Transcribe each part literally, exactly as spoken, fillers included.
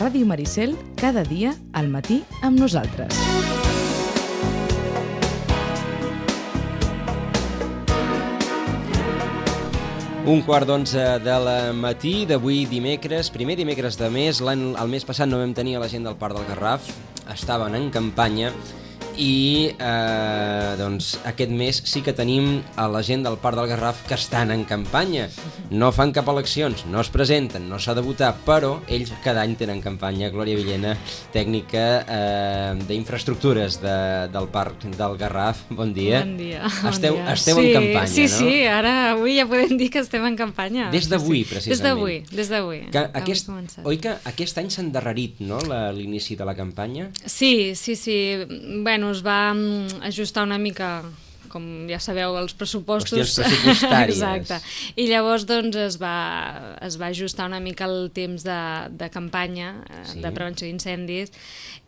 Ràdio Maricel, cada dia al matí amb nosaltres. Un quart d'onze de la matí d'avui dimecres, primer dimecres de mes. L'any, el mes passat no vam tenir a la gent del Parc del Garraf, estaven en campanya i eh, doncs aquest mes sí que tenim a la gent del Parc del Garraf que estan en campanya. No fan cap eleccions, no es presenten, no s'ha de votar, però ells cada any tenen campanya. Glòria Villena, tècnica eh, d'infraestructures de, del Parc del Garraf. Bon dia. Bon dia. Esteu, bon dia. esteu sí, en campanya, sí, no? Sí, sí, ara avui ja podem dir que estem en campanya. Des d'avui, sí, sí. precisament. Des d'avui, des d'avui. Que aquest, oi que aquest any s'ha endarrerit, no?, l'inici de la campanya? Sí, sí, sí. Bueno, es va ajustar una mica, com ja sabeu, els pressupostos. Qüestions pressupostàries. Exacte. I llavors doncs es va, es va ajustar una mica el temps de, de campanya, sí, de prevenció d'incendis,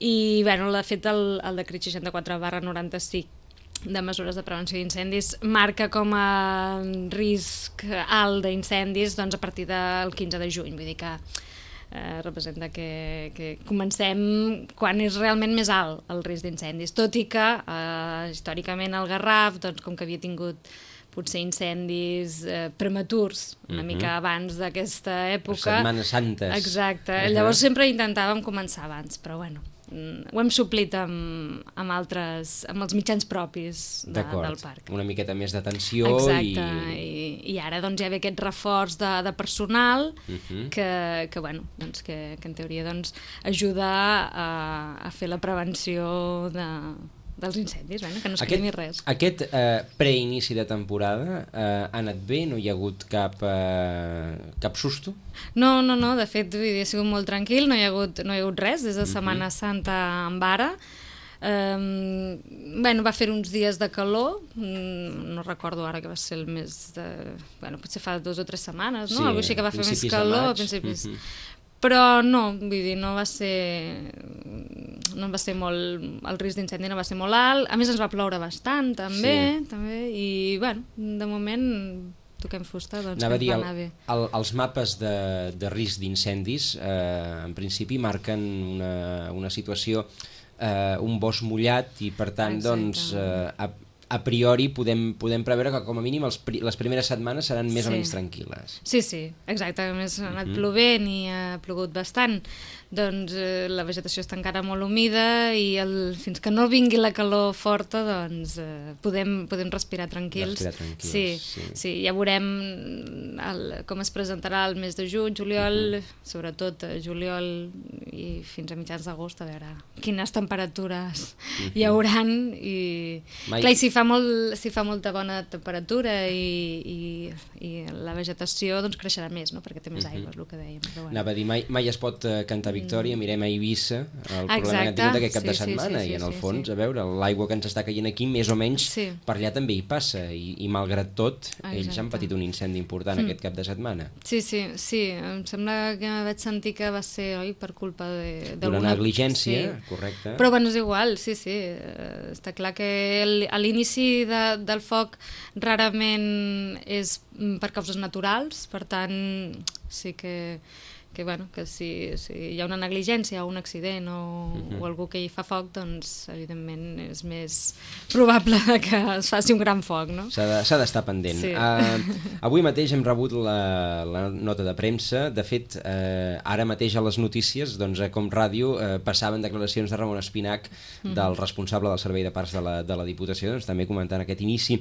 i bueno, de fet el, el decret seixanta-quatre barra noranta-cinc de mesures de prevenció d'incendis marca com a risc alt d'incendis doncs, a partir del quinze de juny, vull dir que Eh, representa que, que comencem quan és realment més alt el risc d'incendis, tot i que eh, històricament el Garraf, doncs, com que havia tingut potser incendis eh, prematurs una uh-huh. mica abans d'aquesta època, Setmanes Santes, exacte, uh-huh. llavors sempre intentàvem començar abans, però bueno, ho hem suplit amb, amb altres, amb els mitjans propis de, del parc. Una miqueta més d'atenció. Exacte, i... I, i ara doncs hi ha aquest reforç de, de personal uh-huh. que, que, bueno, doncs, que, que en teoria doncs, ajuda a, a fer la prevenció de, dels incendis, bueno, que no es cremi res. Aquest eh, preinici de temporada eh, ha anat bé? No hi ha hagut cap, eh, cap susto? No, no, no, de fet ha sigut molt tranquil, no hi ha hagut, no hi ha hagut res des de Setmana uh-huh. Santa en vara. Um, bueno, va fer uns dies de calor, mm, no recordo ara que va ser el mes de... Bueno, potser fa dos o tres setmanes, no? Sí, algo així que va fer més calor a principis. Uh-huh. Però no, vull dir, no va ser... no va ser molt... el risc d'incendi no va ser molt alt, a més ens va ploure bastant també, sí. també i bueno, de moment toquem fusta, doncs Anava que dir, va anar bé. El, els mapes de, de risc d'incendis eh, en principi marquen una, una situació, eh, un bosc mullat i per tant exacte. doncs eh, a, a priori podem, podem preveure que com a mínim els, les primeres setmanes seran més sí. o menys tranquil·les. Sí, sí, exacte, a més ha anat uh-huh. plovent i ha plogut bastant, doncs eh, la vegetació està encara molt humida i el, fins que no vingui la calor forta doncs eh, podem, podem respirar tranquils. Respirar tranquils, sí, sí. sí, ja veurem el, com es presentarà el mes de juny, juliol, uh-huh. sobretot juliol i fins a mitjans d'agost, a veure quines temperatures uh-huh. hi hauran i, Mai... clar, i si fa molt, si fa molta bona temperatura i, i, i la vegetació doncs creixerà més, no? Perquè té més aigua, uh-huh. és el que dèiem. Però bueno. Anava a dir, mai, mai es pot uh, cantar victòria, mirem a Eivissa, el exacte. problema que han tingut aquest cap sí, de setmana, sí, sí, sí, i en el fons, sí, sí. a veure, l'aigua que ens està caient aquí, més o menys, sí. per allà també hi passa, i, i malgrat tot, exacte. ells han patit un incendi important mm. aquest cap de setmana. Sí, sí, sí, em sembla que vaig sentir que va ser, oi, per culpa de... d'una negligència, sí. correcte. Però bueno, és igual, sí, sí, està clar que el, a l'inici de, del foc rarament és per causes naturals, per tant, sí que... que, bueno, que si, si hi ha una negligència o un accident o, uh-huh. o algú que hi fa foc, doncs evidentment és més probable que es faci un gran foc, no? S'ha d'estar pendent. Sí. Uh, avui mateix hem rebut la, la nota de premsa. De fet, uh, ara mateix a les notícies, doncs, a Com Ràdio, uh, passaven declaracions de Ramon Espinac, uh-huh. del responsable del Servei de Parcs de la, de la Diputació, doncs, també comentant aquest inici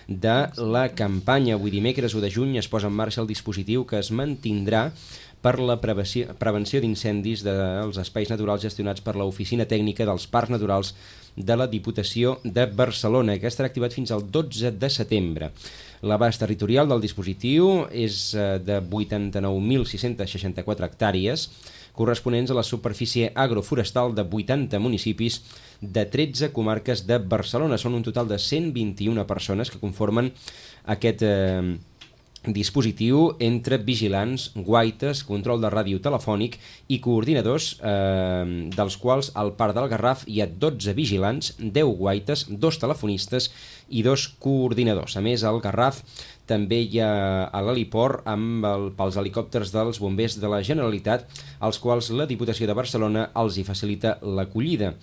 de la campanya. Avui dimecres u de juny es posa en marxa el dispositiu que es mantindrà per la prevenció, prevenció d'incendis dels espais naturals gestionats per l'Oficina Tècnica dels Parcs Naturals de la Diputació de Barcelona, que estarà activat fins al dotze de setembre. L'abast territorial del dispositiu és de vuitanta-nou mil sis-cents seixanta-quatre hectàrees, corresponents a la superfície agroforestal de vuitanta municipis de tretze comarques de Barcelona. Són un total de cent vint-i-una persones que conformen aquest... Eh, dispositiu entre vigilants, guaites, control de ràdio telefònic i coordinadors, eh, dels quals al Parc del Garraf hi ha dotze vigilants, deu guaites, dos telefonistes i dos coordinadors. A més, al Garraf també hi ha a l'heliport amb el, pels helicòpters dels bombers de la Generalitat, als quals la Diputació de Barcelona els hi facilita l'acollida.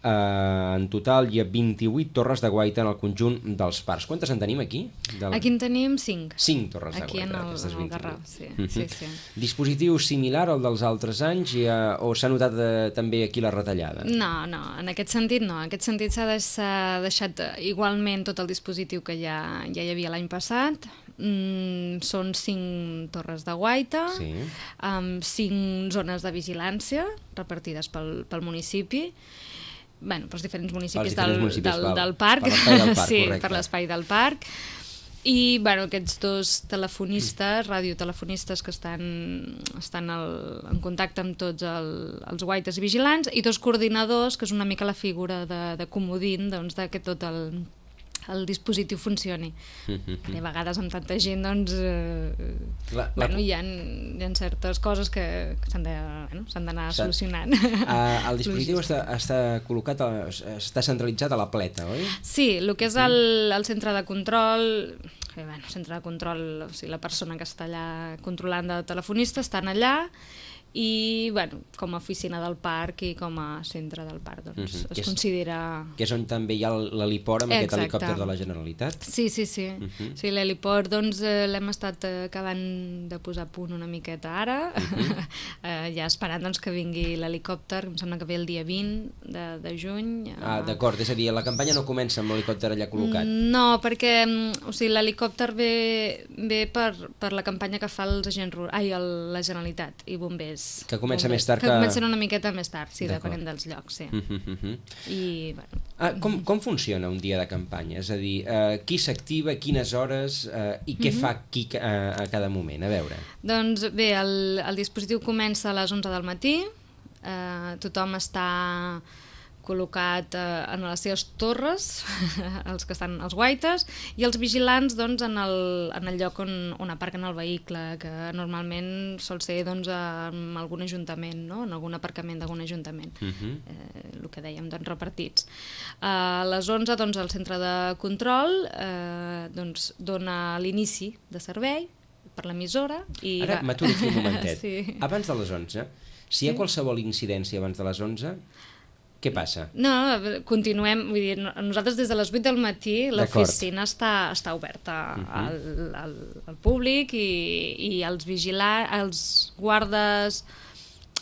Uh, en total hi ha vint-i-vuit torres de guaita en el conjunt dels parcs. Quantes en tenim aquí? De la... Aquí en tenim cinc. Cinc torres aquí de guaita. Aquí en el, en el Garraf, sí. Uh-huh. sí, sí. Dispositiu similar al dels altres anys i, uh, o s'ha notat uh, també aquí la retallada? No, no, en aquest sentit no. En aquest sentit s'ha de, deixat igualment tot el dispositiu que ja, ja hi havia l'any passat. Mm, són cinc torres de guaita, sí. amb cinc zones de vigilància repartides pel, pel municipi. Bueno, pels diferents municipis, diferents del, municipis del, val, del parc, per l'espai del parc, sí, correcte. per l'espai del parc. I bueno, aquests dos telefonistes, radiotelefonistes que estan, estan al, en contacte amb tots el, els guaites i vigilants, i dos coordinadors, que és una mica la figura de, de comodín, doncs, de que tot el, el dispositiu funcioni. I a vegades amb tanta gent doncs, eh, la, la... Bueno, hi, ha, hi ha certes coses que, que s'han d'anar bueno, solucionant. Uh, el dispositiu està, està col·locat, a, està centralitzat a la Pleta, oi? Sí, el que és el, el centre de control, eh, bueno, centre de control, o sigui, la persona que està allà controlant de telefonista estan allà, i bueno, com a oficina del parc i com a centre del parc doncs, uh-huh. es que és, considera... Que és on també hi ha l'heliport amb Exacte. Aquest helicòpter de la Generalitat? Sí, sí, sí. Uh-huh. Sí, l'heliport doncs, eh, l'hem estat acabant de posar a punt una miqueta ara, uh-huh. eh, ja esperant doncs, que vingui l'helicòpter, em sembla que ve el dia vint de, de juny. Eh... Ah, d'acord, és a dir, la campanya no comença amb l'helicòpter allà col·locat? No, perquè o sigui, l'helicòpter ve, ve per, per la campanya que fa els agents rurals, ai, el, la Generalitat i bombers. Que comença bombers, més tard que... Que comencen una miqueta més tard, sí, depenent dels llocs, sí. Uh -huh, uh -huh. I, bueno... ah, com, com funciona un dia de campanya? És a dir, uh, qui s'activa, quines hores uh, i què uh -huh. fa qui uh, a cada moment? A veure. Doncs bé, el, el dispositiu comença a les onze del matí, eh, tothom està col·locat eh, en les seves torres, els que estan als guaites, i els vigilants doncs, en, el, en el lloc on, on aparquen el vehicle, que normalment sol ser doncs, en algun ajuntament, no? En algun aparcament d'algun ajuntament, uh-huh. eh, el que dèiem, doncs, repartits. A les onze, doncs, el centre de control eh, doncs, dona l'inici de servei per l'emissora. I Ara m'aturo aquí un momentet. Sí. Abans de les onze, si hi ha sí. qualsevol incidència abans de les onze, què passa? No, continuem, vull dir, nosaltres des de les vuit del matí l'oficina està, està oberta uh-huh. al, al, al públic i, i els vigilants, els guardes,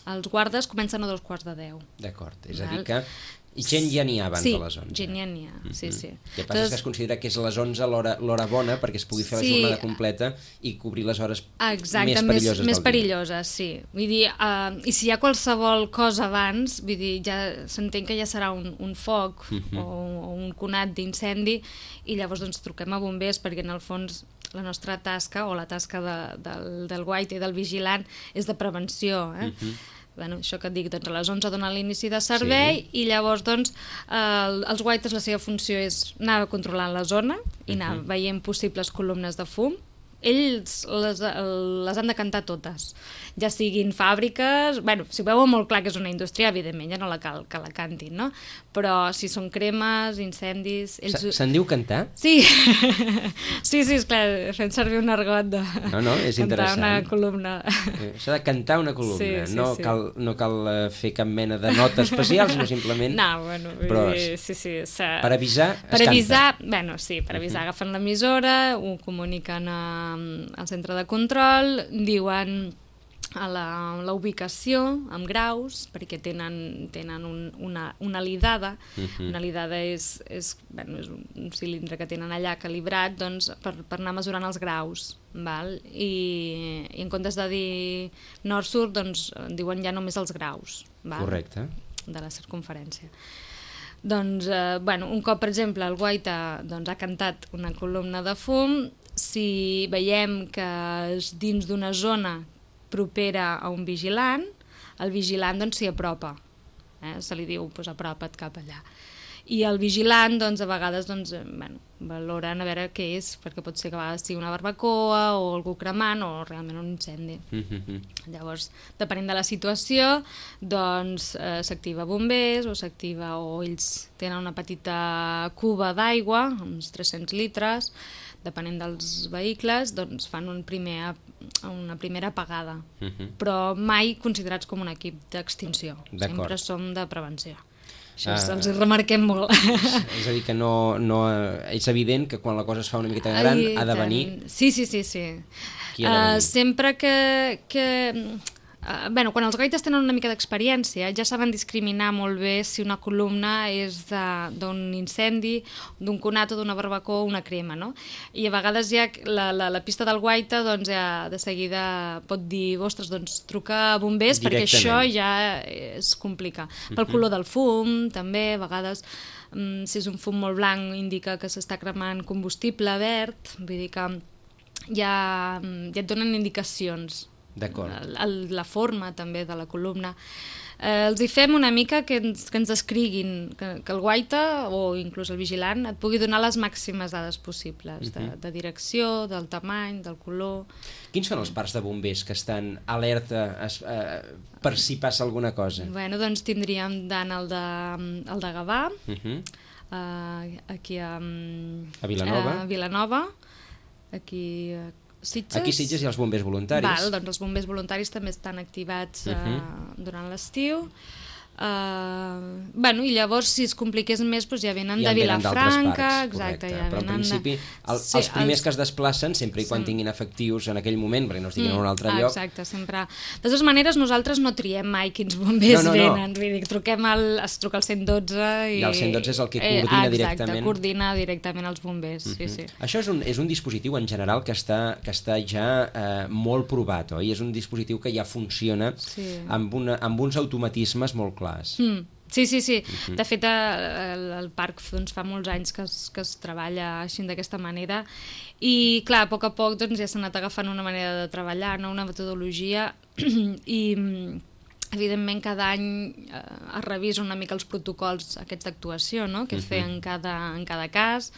els guardes comencen a dos quarts de deu. D'acord, és Val? a dir que... I gent ja n'hi ha abans sí, de les onze. Sí, gent ja n'hi ha, uh-huh. sí, sí. El que passa Entonces, és que es considera que és a les onze l'hora bona perquè es pugui fer sí, la jornada completa i cobrir les hores exacte, més perilloses més, més perilloses, sí. Vull dir, uh, i si hi ha qualsevol cosa abans, vull dir, ja s'entén que ja serà un, un foc uh-huh. o, o un conat d'incendi i llavors doncs truquem a bombers perquè en el fons la nostra tasca o la tasca de, del, del guaita i del vigilant és de prevenció, eh? Uh-huh. Bueno, això que et dic, doncs a les onze dona l'inici de servei sí. i llavors doncs eh, els guaites la seva funció és anar controlant la zona i anar uh-huh. veient possibles columnes de fum. Ells les, les han de cantar totes, ja siguin fàbriques, bueno, si veuen molt clar que és una indústria, evidentment ja no la cal que la cantin, no? Però si són cremes, incendis... Ells... Se'n diu cantar? Sí, sí, sí, esclar, fent servir un argot de no, no, és cantar una columna. S'ha de cantar una columna, sí, sí, no, sí. Cal, no cal fer cap mena de nota especial, sinó simplement... No, bueno, però sí, sí, per avisar es per avisar, canta. Bueno, sí, per avisar, uh-huh. agafen l'emissora, ho comuniquen a al centre de control, diuen a la, la ubicació amb graus, perquè tenen, tenen un, una, una lidada. Uh-huh. Una lidada és, és, bueno, és un cilindre que tenen allà calibrat doncs, per, per anar mesurant els graus. Val? I, i en comptes de dir nord-sud, doncs, diuen ja només els graus. Val? Correcte. De la circunferència. Doncs, eh, bueno, un cop, per exemple, el guaita doncs, ha cantat una columna de fum, si veiem que és dins d'una zona propera a un vigilant, el vigilant doncs, s'hi apropa. Eh? Se li diu, doncs, apropa't cap allà. I el vigilant, doncs, a vegades, doncs, bueno, valoren a veure què és, perquè pot ser que a vegades sigui una barbacoa o algú cremant o realment un incendi. Mm-hmm. Llavors, depenent de la situació, doncs eh, s'activa bombers o s'activa, o ells tenen una petita cuba d'aigua, uns tres-cents litres, depenent dels vehicles, doncs fan un primer, una primera apagada, uh-huh. però mai considerats com un equip d'extinció. Sempre som de prevenció. Això uh, els remarquem molt. És a dir, que no, no, és evident que quan la cosa es fa una miqueta gran Ai, ha de venir... Sí, sí, sí. sí. Qui ha de venir? Uh, sempre que... que Uh, bueno, quan els guaites tenen una mica d'experiència ja saben discriminar molt bé si una columna és d'un incendi, d'un conat o d'una barbacoa o una crema, no? I a vegades ja la, la, la pista del guaita doncs, ja de seguida pot dir ostres, doncs truca a bombers perquè això ja es complica. Pel uh-huh. color del fum, també, a vegades um, si és un fum molt blanc indica que s'està cremant combustible verd, vull dir que ja, ja et donen indicacions. La forma també de la columna. Eh, els hi fem una mica que ens, que ens descriguin, que, que el guaita o inclús el vigilant et pugui donar les màximes dades possibles, uh-huh. de, de direcció, del tamany, del color. Quins són els parcs de bombers que estan alerta es, eh, per si passa alguna cosa? Bueno, doncs tindríem tant el de, el de Gavà, uh-huh. eh, aquí a, a Vilanova, a Vilanova aquí a Sitges. Aquí Sitges hi ha els bombers voluntaris. Val, doncs els bombers voluntaris també estan activats uh -huh. uh, durant l'estiu. Uh, bueno, i llavors si es compliqués més doncs ja venen ja de Vilafranca, exacte, ja però en principi el, sí, els primers els... els... que es desplacen sempre i quan sí. tinguin efectius en aquell moment perquè no estiguin mm, en un altre ah, lloc. Exacte, sempre. De totes maneres nosaltres no triem mai quins bombers no, no, no. venen, vull dir, truquem al, es truca al cent dotze i... I el cent dotze és el que coordina eh, exacte, directament. Exacte, coordina directament els bombers, uh-huh. sí, sí. Això és un, és un dispositiu en general que està, que està ja eh, molt provat, oi? És un dispositiu que ja funciona sí. amb, una, amb uns automatismes molt clars. Mm. Sí, sí, sí. Uh-huh. De fet, el, el parc doncs, fa molts anys que es, que es treballa així d'aquesta manera i, clar, a poc a poc doncs, ja s'ha anat agafant una manera de treballar, no? Una metodologia i, evidentment, cada any eh, es revisa una mica els protocols aquests d'actuació, no? Que es uh-huh. fer en cada, en cada cas,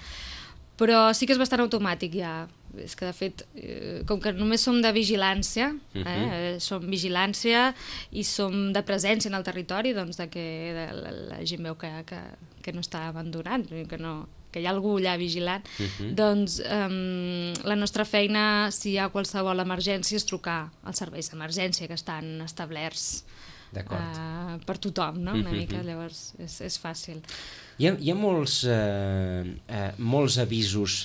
però sí que és bastant automàtic ja. És que, de fet, eh, com que només som de vigilància, eh, uh-huh. som vigilància i som de presència en el territori, doncs de que de, la, la gent veu que, que, que no està abandonat, que, no, que hi ha algú allà vigilant, uh-huh. doncs eh, la nostra feina, si hi ha qualsevol emergència, és trucar als serveis d'emergència que estan establerts eh, per tothom, no? Una uh-huh. mica, llavors és, és fàcil. Hi ha, hi ha molts, eh, eh, molts avisos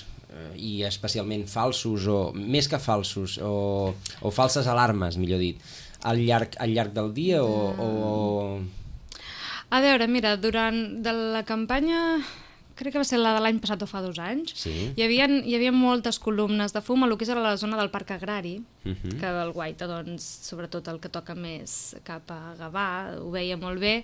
i especialment falsos o més que falsos o, o falses alarmes, millor dit, al llarg, al llarg del dia o, o... A veure, mira, durant de la campanya, crec que va ser la de l'any passat o fa dos anys, sí. hi havia, hi havia moltes columnes de fum a lo que és a la zona del Parc Agrari, uh-huh. que el guaita, doncs, sobretot el que toca més cap a Gavà, ho veia molt bé,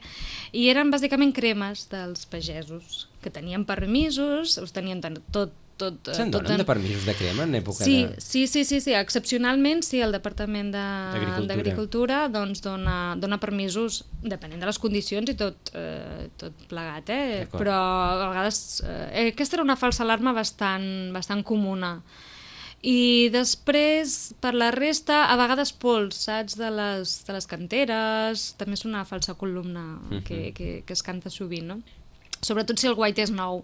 i eren bàsicament cremes dels pagesos, que tenien permisos, us tenien tot Tot, Se'n donen en... de permisos de crema en època sí, de... Sí, sí, sí, sí, excepcionalment sí, el Departament d'Agricultura de... doncs dona, dona permisos depenent de les condicions i tot, eh, tot plegat, eh? Però a vegades eh, aquesta era una falsa alarma bastant, bastant comuna. I després, per la resta, a vegades pols, saps, de les, de les canteres, també és una falsa columna uh-huh. que, que, que es canta sovint, no? Sobretot si el guaita és nou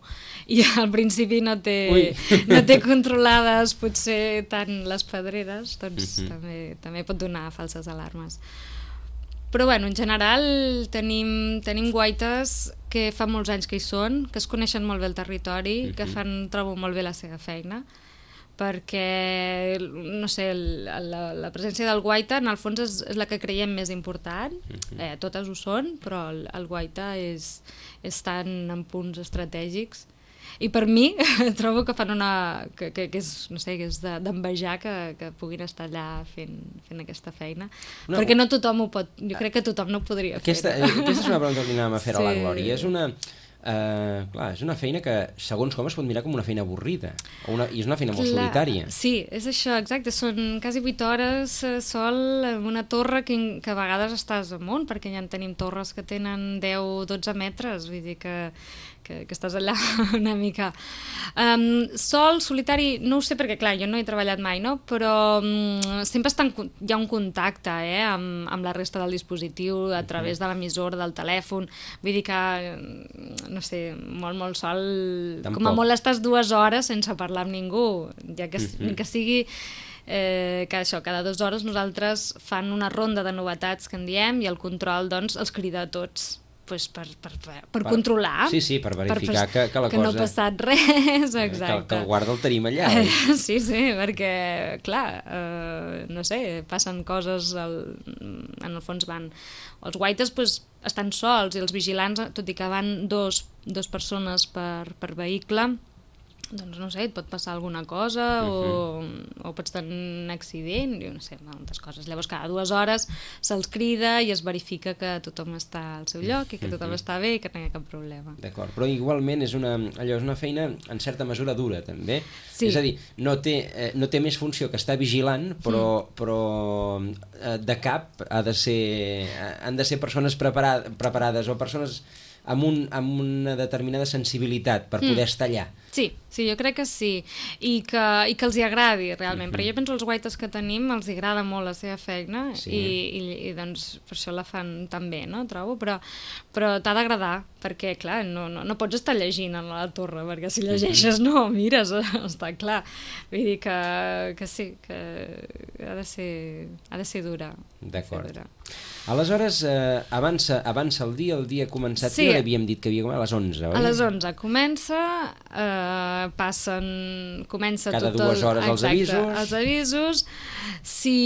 i al principi no té, no té controlades potser tant les pedreres, doncs uh-huh. també, també pot donar falses alarmes. Però bueno, en general tenim, tenim guaites que fa molts anys que hi són, que es coneixen molt bé el territori, uh-huh. que fan, trobo molt bé la seva feina, perquè, no sé, la, la presència del guaita en el fons és, és la que creiem més important, uh-huh. eh, totes ho són, però el, el guaita és, és tan en punts estratègics i per mi trobo que fan una que, que, que és, no sé, que és d'envejar de, que, que puguin estar allà fent, fent aquesta feina, no, perquè no tothom ho pot, jo crec que tothom no ho podria aquesta, fer. Aquesta és una pregunta que anàvem a fer sí. a la Glòria, és una Uh, clar, és una feina que segons com es pot mirar com una feina avorrida o una, i és una feina molt clar, solitària. Sí, és això, exacte, són quasi vuit hores eh, sol en una torre que, que a vegades estàs amunt, perquè ja en tenim torres que tenen deu dotze metres, vull dir que, que, que estàs allà una mica. Um, sol, solitari, no ho sé perquè, clar, jo no he treballat mai, no? Però um, sempre està en, hi ha un contacte eh, amb, amb la resta del dispositiu a través de l'emissora, del telèfon. Vull dir que, no sé, molt, molt sol... Tampoc. Com a molt estàs dues hores sense parlar amb ningú, ja que, uh-huh. que sigui... Eh, que això, cada dues hores nosaltres fan una ronda de novetats que en diem i el control doncs els crida a tots pues, per, per, per, per controlar. Sí, sí, per verificar per, que, que la que cosa... Que no ha passat res, exacte. Que, que el guarda el tenim allà. Sí, sí, perquè, clar, eh, no sé, passen coses, al, en el fons van... Els guaites pues, estan sols i els vigilants, tot i que van dos, dos persones per, per vehicle, doncs no sé, et pot passar alguna cosa uh-huh. o, o pots tenir un accident, jo no sé, moltes coses. Llavors cada dues hores se'ls crida i es verifica que tothom està al seu lloc i que tothom uh-huh. està bé i que no hi ha cap problema. D'acord, però igualment és una, allò és una feina en certa mesura dura també. Sí. És a dir, no té, eh, no té més funció que estar vigilant, però, mm. però eh, de cap ha de ser, han de ser persones preparades, preparades o persones amb, un, amb una determinada sensibilitat per poder mm. estar allà. Sí, sí, jo crec que sí, i que, i que els hi agradi realment, mm-hmm. perquè jo penso els guaites que tenim els hi agrada molt la seva feina sí. i, i, i doncs per això la fan tan bé, no? Trobo, però, però t'ha d'agradar, perquè clar, no, no, no pots estar llegint a la torre, perquè si llegeixes mm-hmm. no mires, està clar, vull dir que, que sí, que ha de ser, ha de ser dura. D'acord. Aleshores, eh, avança, avança el dia, el dia ha començat, sí. Ja havíem dit que havia començat a les onze, oi? A les onze comença, eh, passen, comença cada tot dues hores el, els exacte, avisos. Els avisos, si,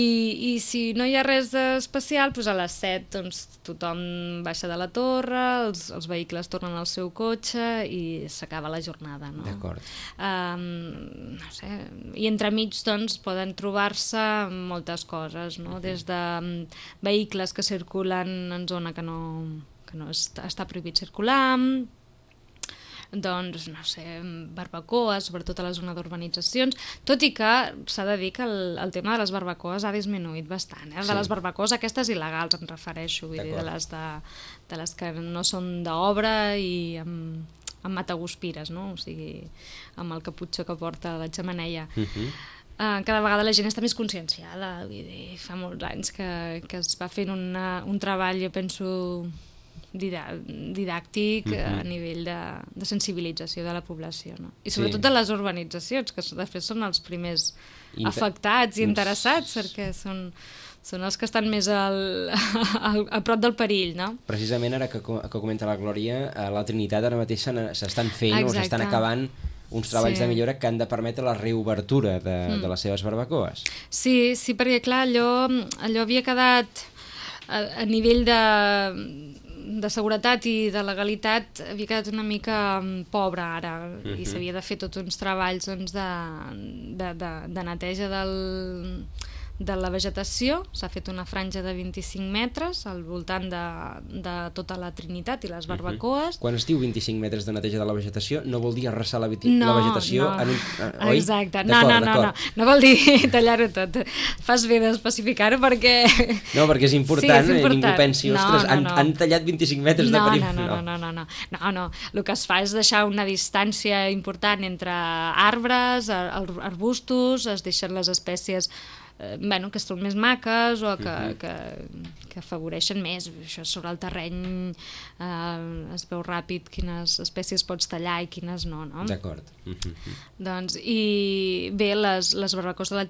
i si no hi ha res especial, doncs a les set doncs, tothom baixa de la torre, els, els vehicles tornen al seu cotxe i s'acaba la jornada, no? D'acord. Um, no sé, i entremig doncs, poden trobar-se moltes coses, no? Des de um, vehicles que circulen en zona que no, que no està, està prohibit circular, doncs, no sé, barbacoes, sobretot a la zona d'urbanitzacions, tot i que s'ha de dir que el, el tema de les barbacoes ha disminuït bastant, eh? Sí. De les barbacoes aquestes il·legals em refereixo, vull dir, de les, de, de les que no són d'obra i amb, amb mataguspires, no? O sigui, amb el caputxó que porta la xemeneia. Uh-huh. Uh, cada vegada la gent està més conscienciada, vull dir, fa molts anys que, que es va fent una, un treball, jo penso, didàctic uh-huh. a nivell de, de sensibilització de la població, no? I sobretot sí. De les urbanitzacions, que després són els primers Inter... afectats i interessats, perquè són, són els que estan més al, al, a prop del perill, no? Precisament ara que, que comenta la Glòria, a la Trinitat ara mateix s'estan fent Exacte. O s'estan acabant uns treballs sí. De millora que han de permetre la reobertura de, mm. de les seves barbacoes. Sí, sí, perquè clar, allò, allò havia quedat a, a nivell de, de seguretat i de legalitat, havia quedat una mica pobre ara, mm-hmm. i s'havia de fer tots uns treballs doncs, de, de, de, de neteja del... de la vegetació, s'ha fet una franja de vint-i-cinc metres al voltant de, de tota la Trinitat i les barbacoes. Uh-huh. Quan es diu vint-i-cinc metres de neteja de la vegetació, no vol dir arrasar la, no, la vegetació no. en un... Uh, oi? Exacte, no, no, no, no, no vol dir tallar-ho tot. Fas bé d'especificar-ho perquè... No, perquè és important, sí, és important. Ningú pensi, ostres, no, no, no. Han, han tallat vint-i-cinc metres no, de perímetre. No, no, no, no, no, no, no, no. El que es fa és deixar una distància important entre arbres, arbustos, es deixen les espècies Eh, bueno, que són més maques o que, uh-huh. que, que afavoreixen més. Això sobre el terreny eh, es veu ràpid quines espècies pots tallar i quines no, no? D'acord. Uh-huh. Doncs, i bé, les, les barbacoes de la,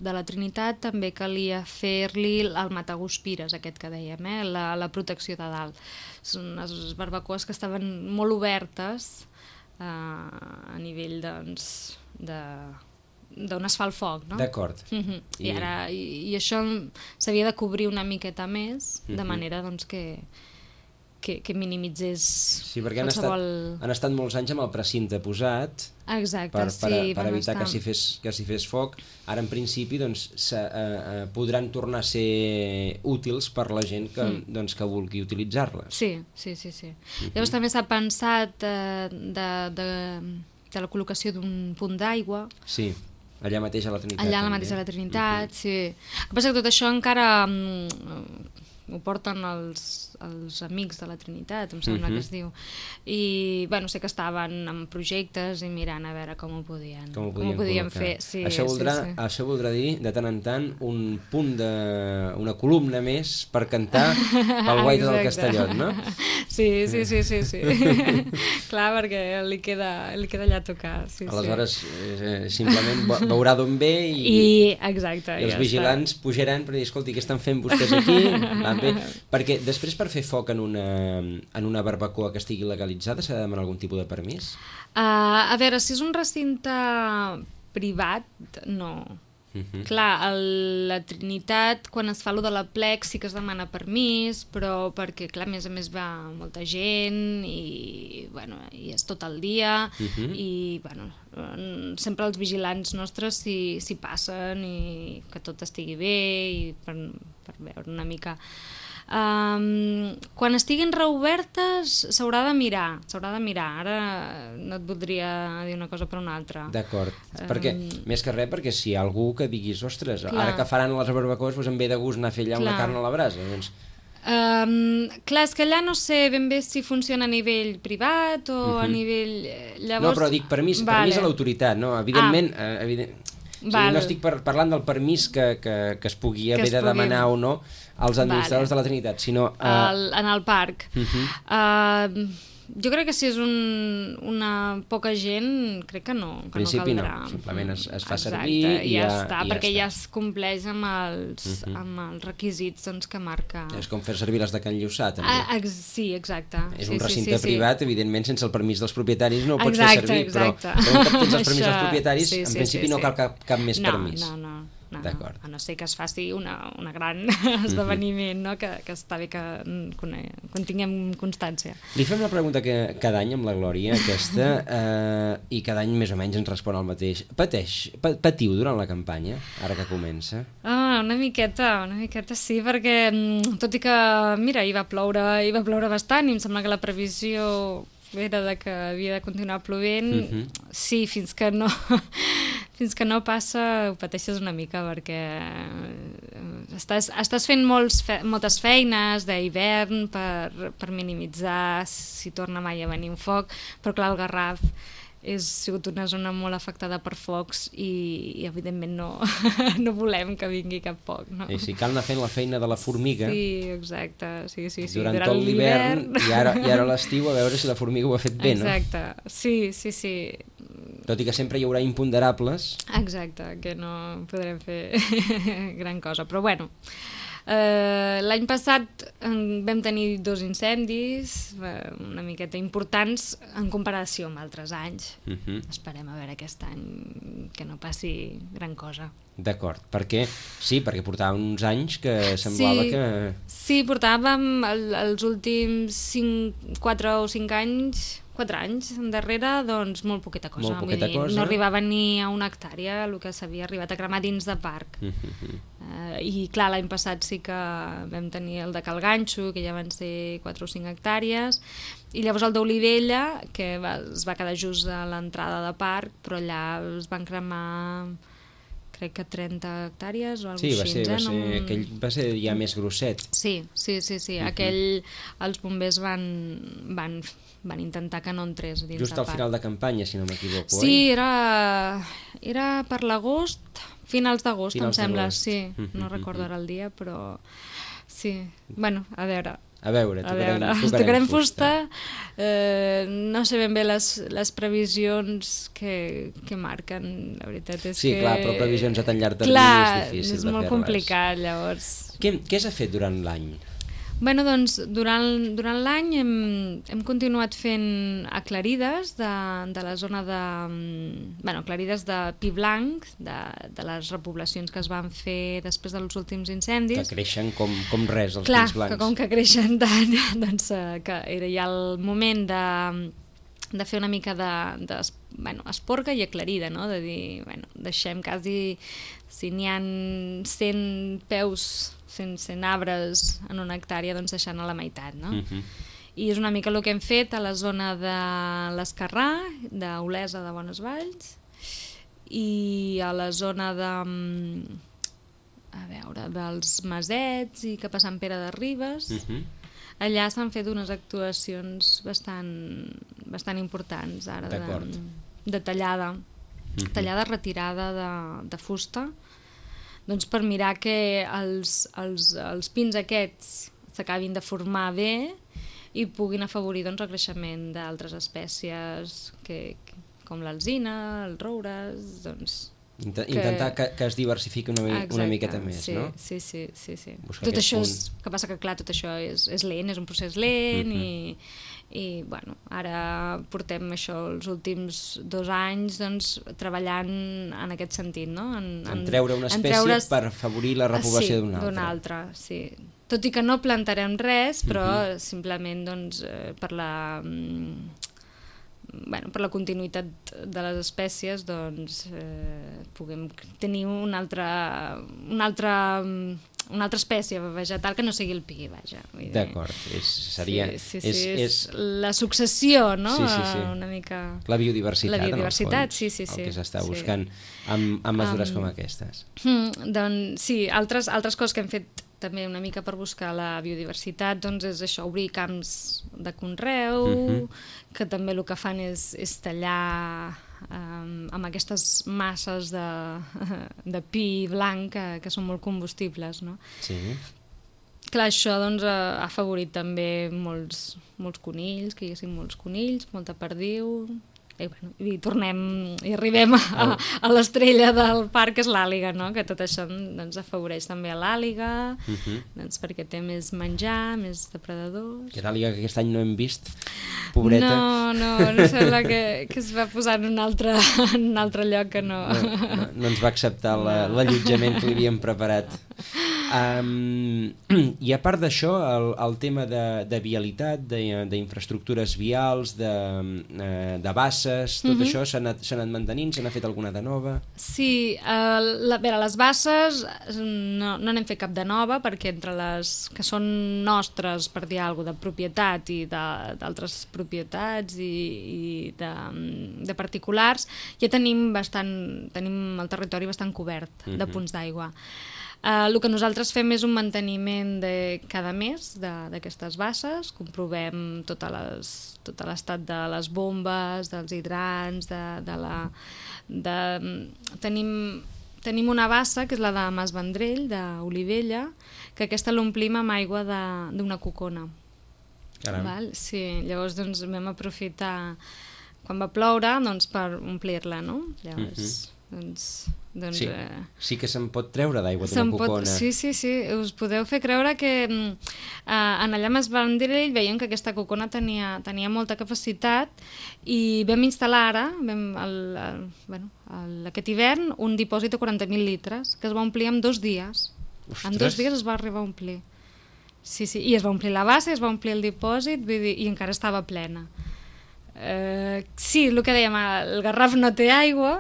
de la Trinitat també calia fer-li el mataguspires, aquest que dèiem, eh? la, la protecció de dalt. Són unes barbacoes que estaven molt obertes eh, a nivell, doncs, de... d'on es fa el foc, no? D'acord. Uh-huh. I, I, ara, i, i això s'havia de cobrir una miqueta més, uh-huh. de manera doncs, que, que, que minimitzés sí, perquè qualsevol... han estat, han estat molts anys amb el precinte posat. Exacte, per, per, sí. Per evitar estar... que s'hi fes, que s'hi fes foc. Ara, en principi, doncs, se, eh, eh, podran tornar a ser útils per la gent que, mm. doncs, que vulgui utilitzar-les. Sí, sí, sí. sí. Uh-huh. Llavors també s'ha pensat eh, de, de, de la col·locació d'un punt d'aigua. Sí. Allà mateix a la Trinitat. Allà mateix a la Trinitat, uh-huh. sí. El que passa que tot això encara um, ho porten els, els Amics de la Trinitat, em sembla uh-huh. que es diu. I, bueno, sé que estaven en projectes i mirant a veure com ho podien, com ho podien, com ho podien fer. Sí, això, voldrà, sí, sí. això voldrà dir, de tant en tant, un punt de... una columna més per cantar pel Guaita del Castellot, no? Sí, sí, sí, sí, sí. Clar, perquè li queda, li queda allà a tocar. Sí, aleshores, sí. Eh, simplement veurà d'on ve i, I, exacte, i els ja vigilants està. Pujaran per dir, escolti, què estan fent vostès aquí? Va bé. Perquè després per fer foc en una, en una barbacoa que estigui legalitzada s'ha de demanar algun tipus de permís? Uh, a veure, si és un recinte privat, no. Uh-huh. Clar, el, la Trinitat, quan es fa allò de la plec, sí que es demana permís, però perquè, clar, a més a més va molta gent i, bueno, i és tot el dia uh-huh. i, bueno, sempre els vigilants nostres s'hi, s'hi passen i que tot estigui bé i per, per veure una mica... Um, quan estiguin reobertes s'haurà de mirar, s'haurà de mirar. Ara no et voldria dir una cosa per una altra. D'acord, um, perquè més que res perquè si hi ha algú que diguis, ostres, clar. Ara que faran les barbacoes doncs em ve de gust anar a fer allà clar. Una carn a la brasa, doncs... Um, clar, és que allà no sé ben bé si funciona a nivell privat o uh-huh. a nivell... Llavors... No, però dic permís, vale. Permís a l'autoritat, no? Evidentment, ah. eh, evident... o sigui, no estic par parlant del permís que, que, que es pugui que haver es de pugui... demanar o no als administradors vale. De la Trinitat, sinó... Uh... El, en el parc. Uh-huh. uh, jo crec que si és un, una poca gent, crec que no, que principi no caldrà. No, simplement es, es fa exacte, servir i ja, ja està, i perquè ja, ja es compleix amb els, uh-huh. amb els requisits doncs, que marca... És com fer servir les de Can Lluçà, també. Ah, ex sí, exacte. És sí, un recinte sí, sí, privat, sí. evidentment, sense el permís dels propietaris no ho pots exacte, fer servir, exacte. però, però un cop tens els permís Això... dels propietaris, sí, sí, en principi sí, no sí. cal cap, cap més no, permís. No, no, no, no. A no ser que es faci una, una gran esdeveniment, no? que, que està bé que, que en tinguem constància. Li fem la pregunta que cada any amb la Glòria, aquesta, eh, i cada any més o menys ens respon el mateix. Pateix, patiu durant la campanya, ara que comença? Ah, una miqueta, una miqueta sí, perquè tot i que, mira, hi va ploure, hi va ploure bastant i em sembla que la previsió era de que havia de continuar plovent, uh-huh. sí, fins que no fins que no passa ho pateixes una mica perquè estàs, estàs fent molts fe, moltes feines d'hivern per, per minimitzar si torna mai a venir un foc, però clar, el Garraf és sigut una zona molt afectada per focs i, i evidentment no, no volem que vingui cap foc. No? I si cal anar fent la feina de la formiga sí, exacte. Sí, sí, sí. durant, durant tot l'hivern i ara, i ara l'estiu a veure si la formiga ho ha fet bé, exacte. No? Exacte, sí, sí, sí. Tot i que sempre hi haurà imponderables. Exacte, que no podrem fer gran cosa, però bueno... Uh, l'any passat um, vam tenir dos incendis uh, una miqueta importants en comparació amb altres anys. Uh-huh. Esperem a veure aquest any que no passi gran cosa. D'acord, perquè sí, perquè portàvem uns anys que semblava sí, que... Sí, portàvem el, els últims cinc, quatre o cinc anys, quatre anys endarrere, doncs molt poqueta cosa. Molt poqueta Vull dir, cosa. No arribava ni a una hectàrea el que s'havia arribat a cremar dins de parc. Uh-huh. uh, I clar, l'any passat sí que vam tenir el de Cal Ganxo, que ja van ser quatre o cinc hectàrees, i llavors el d'Olivella, que va, es va quedar just a l'entrada de parc, però allà es van cremar... crec que trenta hectàrees o alguna sí, va així. Ser, va, eh? ser, no... aquell va ser ja més grosset. Sí, sí, sí, sí. Uh-huh. Aquell, els bombers van, van, van intentar que no entrés dins just de al parc. final de campanya, si no m'equivoco. Sí, eh? era, era per l'agost, finals d'agost, em sembla, sí. Uh-huh, no recordo ara el dia, però sí. Bueno, a veure... A veure, tocarem, a veure, tocarem fusta. fusta. Eh, no sé ben bé les, les previsions que, que marquen, la veritat és sí, que... Sí, clar, però previsions a tan llarg termini clar, és difícil de fer-les. és molt complicat, llavors. Què, què s'ha fet durant l'any? Bueno, doncs, durant, durant l'any hem, hem continuat fent aclarides de, de la zona de... Bueno, aclarides de pi blanc, de, de les repoblacions que es van fer després dels últims incendis. Que creixen com, com res, els Clar, pins blancs. Clar, que com que creixen tant, doncs que era ja el moment de, de fer una mica de, de bueno, esporga i aclarida, no? De dir, bueno, deixem quasi, si n'hi ha cent peus... cent, cent arbres en una hectàrea, doncs deixant a la meitat, no? Uh-huh. I és una mica el que hem fet a la zona de l'Escarrà, d'Olesa de Bonesvalls, i a la zona de... a veure, dels Masets i cap a Sant Pere de Ribes. Uh-huh. allà s'han fet unes actuacions bastant, bastant importants ara, de, de tallada, mm-hmm. tallada retirada de, de fusta, doncs per mirar que els, els, els pins aquests s'acabin de formar bé i puguin afavorir doncs, el creixement d'altres espècies que, com l'alzina, els roures, doncs... Intentar que, que es diversifiqui una, Exacte, una miqueta més, sí, no? Sí, sí, sí, sí. Tot això punt... és... que passa que, clar, tot això és, és lent, és un procés lent uh-huh. i, i, bueno, ara portem això els últims dos anys, doncs, treballant en aquest sentit, no? En, en, en treure una espècie en treure's... per afavorir la repoblació sí, d'una altra. d'una altra, sí. Tot i que no plantarem res, però uh-huh. simplement, doncs, eh, per la... Bueno, per la continuïtat de les espècies doncs, eh, puguem tenir una altra, una, altra, una altra espècie vegetal que no sigui el pi, vaja. D'acord, seria... Sí, sí, sí, és, és, és la successió, no? Sí, sí, sí. Una mica... La biodiversitat, la biodiversitat, en el fons, sí, sí, sí. el que s'està sí. buscant amb, amb mesures um, com aquestes. Hmm, doncs sí, altres, altres coses que hem fet també una mica per buscar la biodiversitat, doncs és això, obrir camps de conreu, uh-huh. que també el que fan és, és tallar um, amb aquestes masses de, de pi blanc que, que són molt combustibles, no? Sí. Clar, això doncs, ha afavorit també molts, molts conills, que hi haguessin molts conills, molta perdiu... I, bueno, i tornem i arribem a, a l'estrella del parc, que és l'àliga, no? Que tot això doncs, afavoreix també a l'àliga, uh-huh. doncs, perquè té més menjar, més depredadors. Que l'àliga que aquest any no hem vist, pobreta. No, no, no sembla que, que es va posar en un altre, en un altre lloc que no... No, no, no ens va acceptar l'allotjament que li havíem preparat. Um, I a part d'això, el, el tema de, de vialitat, d'infraestructures vials, de, de basses, tot uh-huh. això s'ha anat, s'ha anat mantenint? Se n'ha fet alguna de nova? Sí, uh, la, bé, les basses no, no n'hem fet cap de nova, perquè entre les que són nostres, per dir alguna cosa, de propietat i d'altres propietats i, i de, de particulars, ja tenim, bastant, tenim el territori bastant cobert uh-huh. de punts d'aigua. Uh, el que nosaltres fem és un manteniment de cada mes d'aquestes basses, comprovem tot l'estat de les bombes, dels hidrants, de, de la... De, tenim, tenim una bassa, que és la de Mas Vendrell, d'Olivella, que aquesta l'omplim amb aigua d'una cocona. Val? Sí, llavors doncs, vam aprofitar, quan va ploure, doncs, per omplir-la, no? Llavors... Uh-huh. Doncs, doncs, sí, eh, sí que se'n pot treure d'aigua d'una cocona. Sí, sí, sí, us podeu fer creure que eh, en allà a Mas Vendrell veiem que aquesta cocona tenia, tenia molta capacitat i vam instal·lar ara, vam, el, el, bueno, el, aquest hivern, un dipòsit de quaranta mil litres que es va omplir en dos dies. Ostres. En dos dies es va arribar a omplir. Sí, sí, i es va omplir la bassa, es va omplir el dipòsit, vull dir, i encara estava plena. Uh, sí, el que dèiem, el Garraf no té aigua,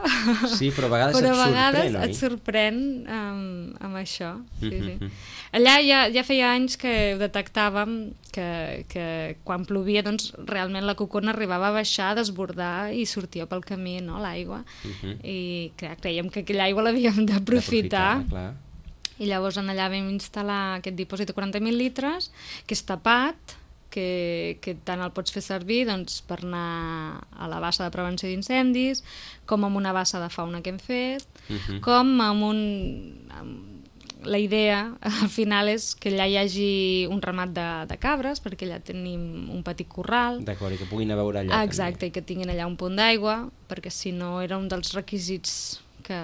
sí, però a vegades, però et, a vegades sorprèn, et sorprèn amb, amb això. Sí, sí. Allà ja, ja feia anys que ho detectàvem, que, que quan plovia doncs, realment la cocona arribava a baixar, a desbordar i sortia pel camí, no, l'aigua. Uh-huh. I clar, creiem que aquella aigua l'havíem d'aprofitar. I llavors en allà vam instal·lar aquest dipòsit de quaranta mil litres, que és tapat, Que, que tant el pots fer servir doncs, per anar a la bassa de prevenció d'incendis, com amb una bassa de fauna que hem fet, uh-huh. com amb un... Amb la idea al final és que allà hi hagi un ramat de, de cabres, perquè allà tenim un petit corral. D'acord, i que puguin a veure allà. Exacte, també. I que tinguin allà un punt d'aigua, perquè si no era un dels requisits que,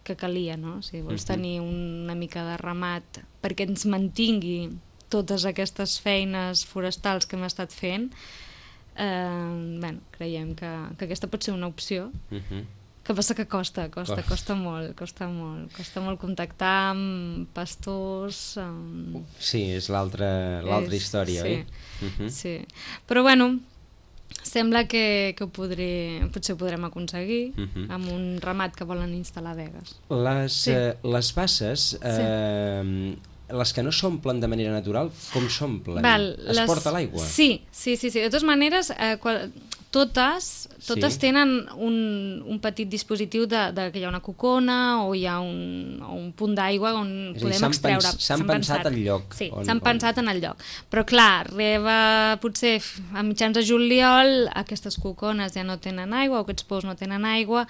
que calia, no? Si vols uh-huh. tenir una mica de ramat perquè ens mantingui totes aquestes feines forestals que hem estat fent, eh, bueno, creiem que, que aquesta pot ser una opció. Uh-huh. Que passa que costa, costa, costa, costa molt, costa molt, costa molt contactar amb pastors... Amb... Sí, és l'altra l'altra història, sí, oi? Uh-huh. Sí, però bueno, sembla que, que ho podré, potser ho podrem aconseguir uh-huh. amb un ramat que volen instal·lar a Begues. Les, sí. eh, les basses... Eh, sí. Les que no s'omplen de manera natural, com s'omplen? Val, es les... porta l'aigua? Sí, sí, sí, sí. De totes maneres, eh, qual... totes, totes Sí. tenen un, un petit dispositiu de, de que hi ha una cocona o hi ha un, o un punt d'aigua on És a dir, podem s'han extreure. pens- s'han pensat al lloc Sí, on- s'han on- pensat en el lloc. Però clar, arriba potser a mitjans de juliol, aquestes cocones ja no tenen aigua, o aquests pous no tenen aigua,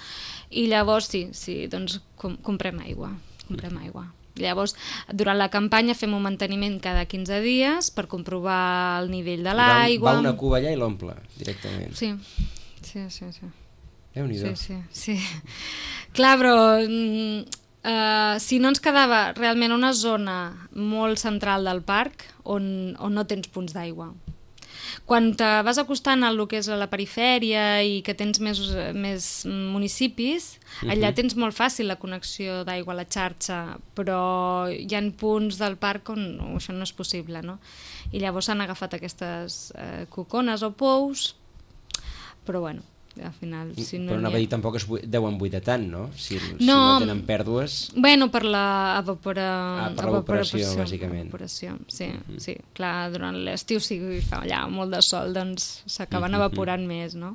i llavors sí, sí, doncs com, comprem aigua, comprem aigua. Llavors, durant la campanya fem un manteniment cada quinze dies per comprovar el nivell de l'aigua. Va una cuba allà i l'omple, directament. Sí, sí, sí. sí. Déu-n'hi-do. Sí, sí, sí. Clar, però mm, uh, si no ens quedava realment una zona molt central del parc on, on no tens punts d'aigua. Quan te vas acostant a lo que és a la perifèria i que tens més, més municipis, allà tens molt fàcil la connexió d'aigua a la xarxa, però hi ha punts del parc on això no és possible, no? I llavors s'han agafat aquestes eh, cocones o pous, però bueno, al final... Si no Però anava ha... a dir, tampoc es bui- deuen buidar tant, no? Si, si No. no tenen pèrdues... Bueno, per la evapora... Ah, per l'evaporació, evaporació, bàsicament. Evaporació, sí, mm-hmm. sí. Clar, durant l'estiu, si fa allà molt de sol, doncs s'acaben mm-hmm. evaporant més, no?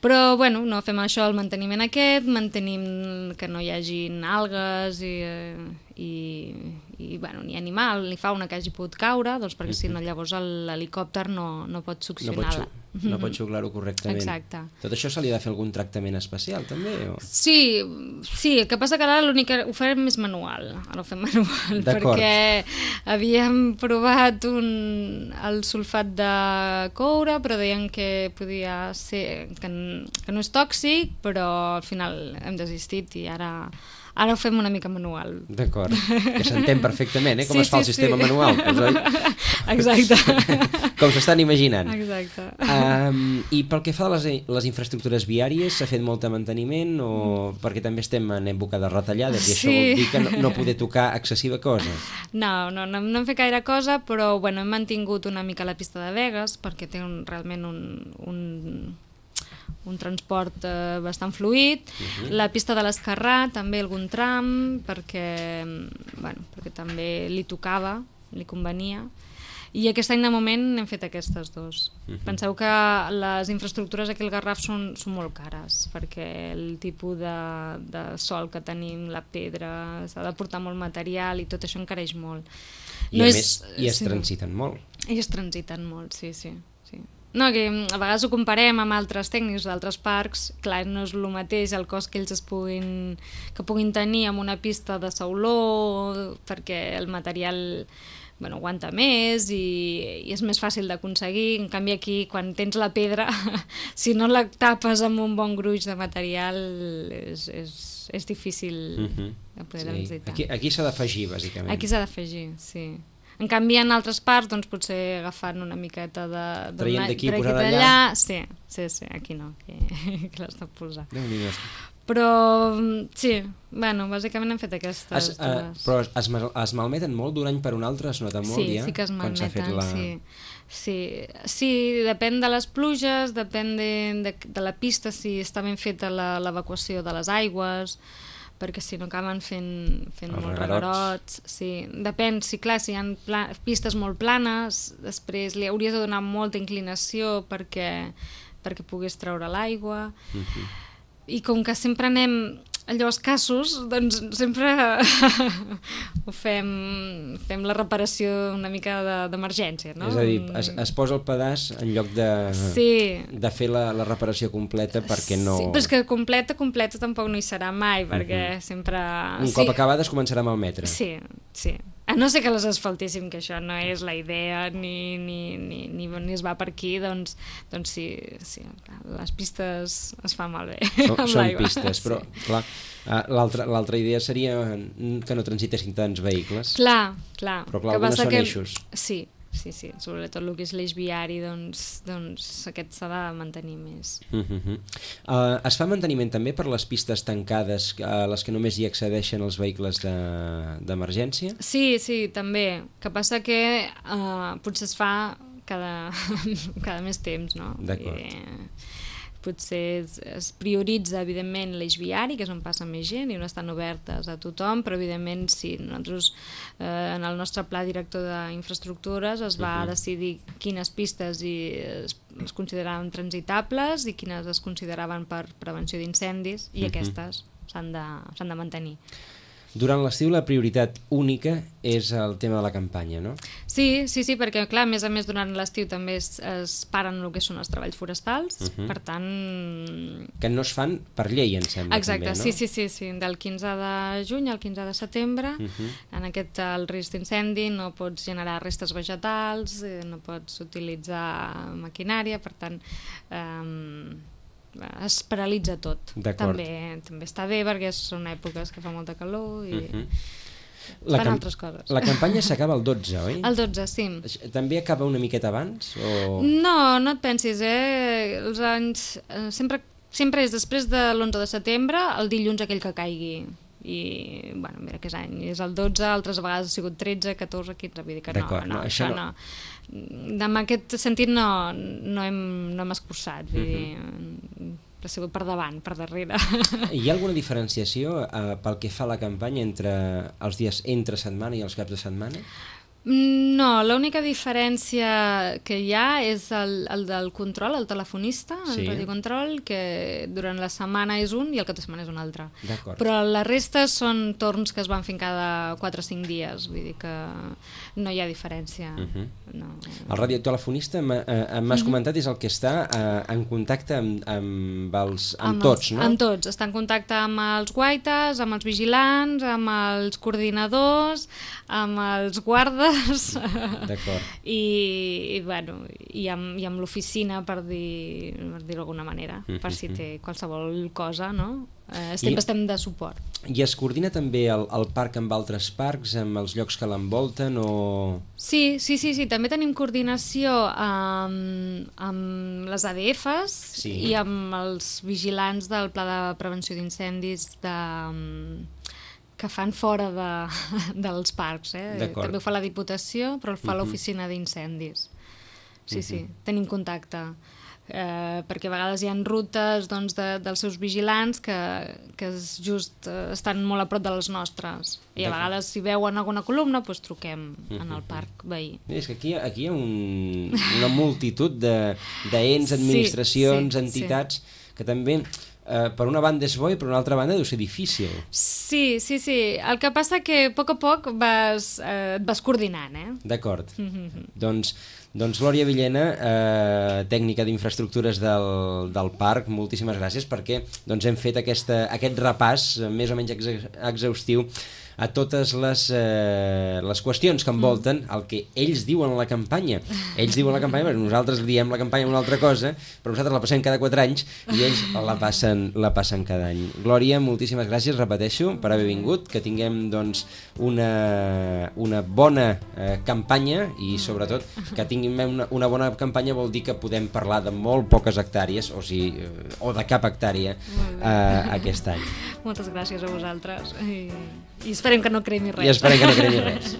Però, bueno, no fem això, el manteniment aquest, mantenim que no hi hagi algues i, i, i bueno, ni animal, ni fauna que hagi pogut caure, doncs perquè si no llavors l'helicòpter no, no pot No succionar. pot, xu- no pot xuclar-ho correctament. Exacte. Tot això se li ha de fer algun tractament especial, també? O... Sí, sí, el que passa que ara l'únic que ho farem més manual, ara ho fem manual, D'acord. perquè havíem provat un, el sulfat de coure, però deien que podia ser, que, que no és tòxic, però al final hem desistit i ara, ara ho fem una mica manual. D'acord, que s'entén perfectament, eh? Com Sí, es fa el sí, sistema sí. manual, doncs, oi? Exacte. Com s'estan imaginant. Exacte. Um, I pel que fa a les, les infraestructures viàries, s'ha fet molt de manteniment o perquè també estem en època de retallades i això Sí. vol dir que no, no poder tocar excessiva cosa? No, no, no, no hem fet gaire cosa, però bueno, hem mantingut una mica la pista de Begues perquè té un, realment un, un, un transport eh, bastant fluid. Uh-huh. La pista de l'Escarrà, també algun tram, perquè, bueno, perquè també li tocava, li convenia. I aquest any de moment hem fet aquestes dos. Uh-huh. Penseu que les infraestructures aquí al Garraf són, són molt cares, perquè el tipus de, de sol que tenim, la pedra, s'ha de portar molt material i tot això encareix molt. I No a és- més, i es sí. transiten molt. I es transiten molt, sí, sí. sí. No, que a vegades ho comparem amb altres tècnics d'altres parcs, clar, no és el mateix el cost que ells es puguin, que puguin tenir amb una pista de sauló, perquè el material bueno, aguanta més i, i és més fàcil d'aconseguir. En canvi aquí, quan tens la pedra, si no la tapes amb un bon gruix de material, és, és, és difícil Uh-huh. de poder Sí. transitar. Aquí, aquí s'ha d'afegir, bàsicament. Aquí s'ha d'afegir, sí. En canvi, en altres parts, doncs, potser agafant una miqueta de... Traient d'aquí i traient posant d'allà, allà. Sí, sí, sí, aquí no, aquí, aquí l'has de posar. Déu-n'hi-do. Però, sí, bueno, bàsicament hem fet aquestes Es, uh, dues. però es, mal- es malmeten molt d'un any per un altre, es nota molt Sí, ja? sí que es quan s'ha fet malmeten, la... sí. Sí, sí, depèn de les pluges, depèn de, de, de la pista, si està ben feta la- l'evacuació de les aigües, perquè si no acaben fent, fent Els molts reguerots. reguerots. Sí. Depèn, si clar, si hi ha pla pistes molt planes, després li hauries de donar molta inclinació perquè, perquè pogués treure l'aigua. Uh-huh. I com que sempre anem allò escassos, doncs sempre ho fem, fem la reparació una mica de- d'emergència, no? És a dir, es, es posa el pedaç en lloc de, Sí. de fer la, la reparació completa perquè no... Sí, però és que completa, completa tampoc no hi serà mai, perquè sempre... Un sí. cop acabada es començarà a malmetre. Sí, sí. A no ser que les asfaltíssim, que això no és la idea, ni, ni, ni, ni, ni es va per aquí, doncs, doncs sí, sí, les pistes es fan malbé Són, amb són l'aigua. pistes, però clar, eh, l'altra l'altra idea seria que no transitessin tants vehicles. Clar, clar. Però clar, Que algunes passa són que... eixos. Sí, sí, sí, sobretot el que és l'eix viari, doncs, doncs aquest s'ha de mantenir més. Uh -huh. uh, es fa manteniment també per les pistes tancades a les que només hi accedeixen els vehicles d'emergència? De, Sí, sí, també. Que passa que uh, potser es fa cada, cada més temps, no? D'acord. I, potser es, es prioritza, evidentment, l'eix viari, que és on passa més gent i on estan obertes a tothom, però, evidentment, sí, nosaltres, eh, en el nostre pla director d'infraestructures es va uh -huh. decidir quines pistes i es, es consideraven transitables i quines es consideraven per prevenció d'incendis, i uh -huh. aquestes s'han de, s'han de mantenir. Durant l'estiu la prioritat única és el tema de la campanya, no? Sí, sí, sí, perquè clar, a més a més durant l'estiu també es, es paren el que són els treballs forestals, uh -huh. per tant... Que no es fan per llei, em sembla. Exacte, també, no? sí, sí, sí, sí, del quinze de juny al quinze de setembre, uh -huh. en aquest el risc d'incendi no pots generar restes vegetals, eh, no pots utilitzar maquinària, per tant... Eh, es paralitza tot. També, també està bé perquè són èpoques que fa molta calor i uh -huh. la fan altres coses. La campanya s'acaba el dotze, oi? El dotze, sí. També acaba una miqueta abans? O... No, no et pensis, eh? Els anys... Eh, sempre, sempre és després de l'onze de setembre, el dilluns aquell que caigui. I, bueno, mira que és any, és el dotze, altres vegades ha sigut tretze, catorze, quinze, vull dir que no, no, no, això no. no. En aquest sentit no, no, hem, no hem escurçat, vull dir, uh-huh. ha sigut per davant, per darrere. Hi ha alguna diferenciació eh, pel que fa a la campanya entre els dies entre setmana i els caps de setmana? No, l'única diferència que hi ha és el, el del control, el telefonista, el sí. radiocontrol, que durant la setmana és un i el cap de setmana és un altre. Però la resta són torns que es van fent cada quatre o cinc dies, vull dir que no hi ha diferència. Uh-huh. no. El radiotelefonista, m'has uh-huh. comentat, és el que està uh, en contacte amb, amb, els, amb, amb tots, els, no? Amb tots, està en contacte amb els guaites, amb els vigilants, amb els coordinadors, amb els guardes, I, i, bueno, i amb, i amb l'oficina, per dir, per dir d'alguna manera, uh-huh. per si té qualsevol cosa, no? Eh, sempre I, estem de suport. I es coordina també el, el parc amb altres parcs, amb els llocs que l'envolten? O... Sí, sí, sí, sí, també tenim coordinació amb, amb les A D Fs sí. i amb els vigilants del Pla de Prevenció d'Incendis de... que fan fora de, dels parcs. Eh? També ho fa la Diputació, però el fa uh-huh. l'Oficina d'Incendis. Sí, uh-huh. sí, tenim contacte. Eh, perquè a vegades hi ha rutes doncs, de, dels seus vigilants que, que just eh, estan molt a prop de les nostres. I a vegades, si veuen alguna columna, doncs truquem uh-huh. en el parc veí. És que aquí, aquí hi ha un, una multitud d'ens, administracions, sí, sí, entitats, sí. que també... Uh, per una banda és bo i per una altra banda deu ser difícil. Sí, sí, sí. El que passa que a poc a poc vas, eh, et vas coordinant, eh? D'acord. Mm-hmm. Doncs, doncs Glòria Villena, eh, tècnica d'infraestructures del, del parc, moltíssimes gràcies perquè doncs, hem fet aquesta, aquest repàs més o menys ex exhaustiu a totes les, eh, les qüestions que envolten el que ells diuen a la campanya. Ells diuen la campanya, perquè nosaltres diem la campanya una altra cosa, però nosaltres la passem cada quatre anys i ells la passen, la passen cada any. Glòria, moltíssimes gràcies, repeteixo, per haver vingut, que tinguem doncs, una, una bona eh, campanya i sobretot que tinguem una, una bona campanya vol dir que podem parlar de molt poques hectàrees, o, sigui, eh, o de cap hectàrea eh, aquest any. Moltes gràcies a vosaltres i, i esperem que no cremi res. I esperem que no cremi res.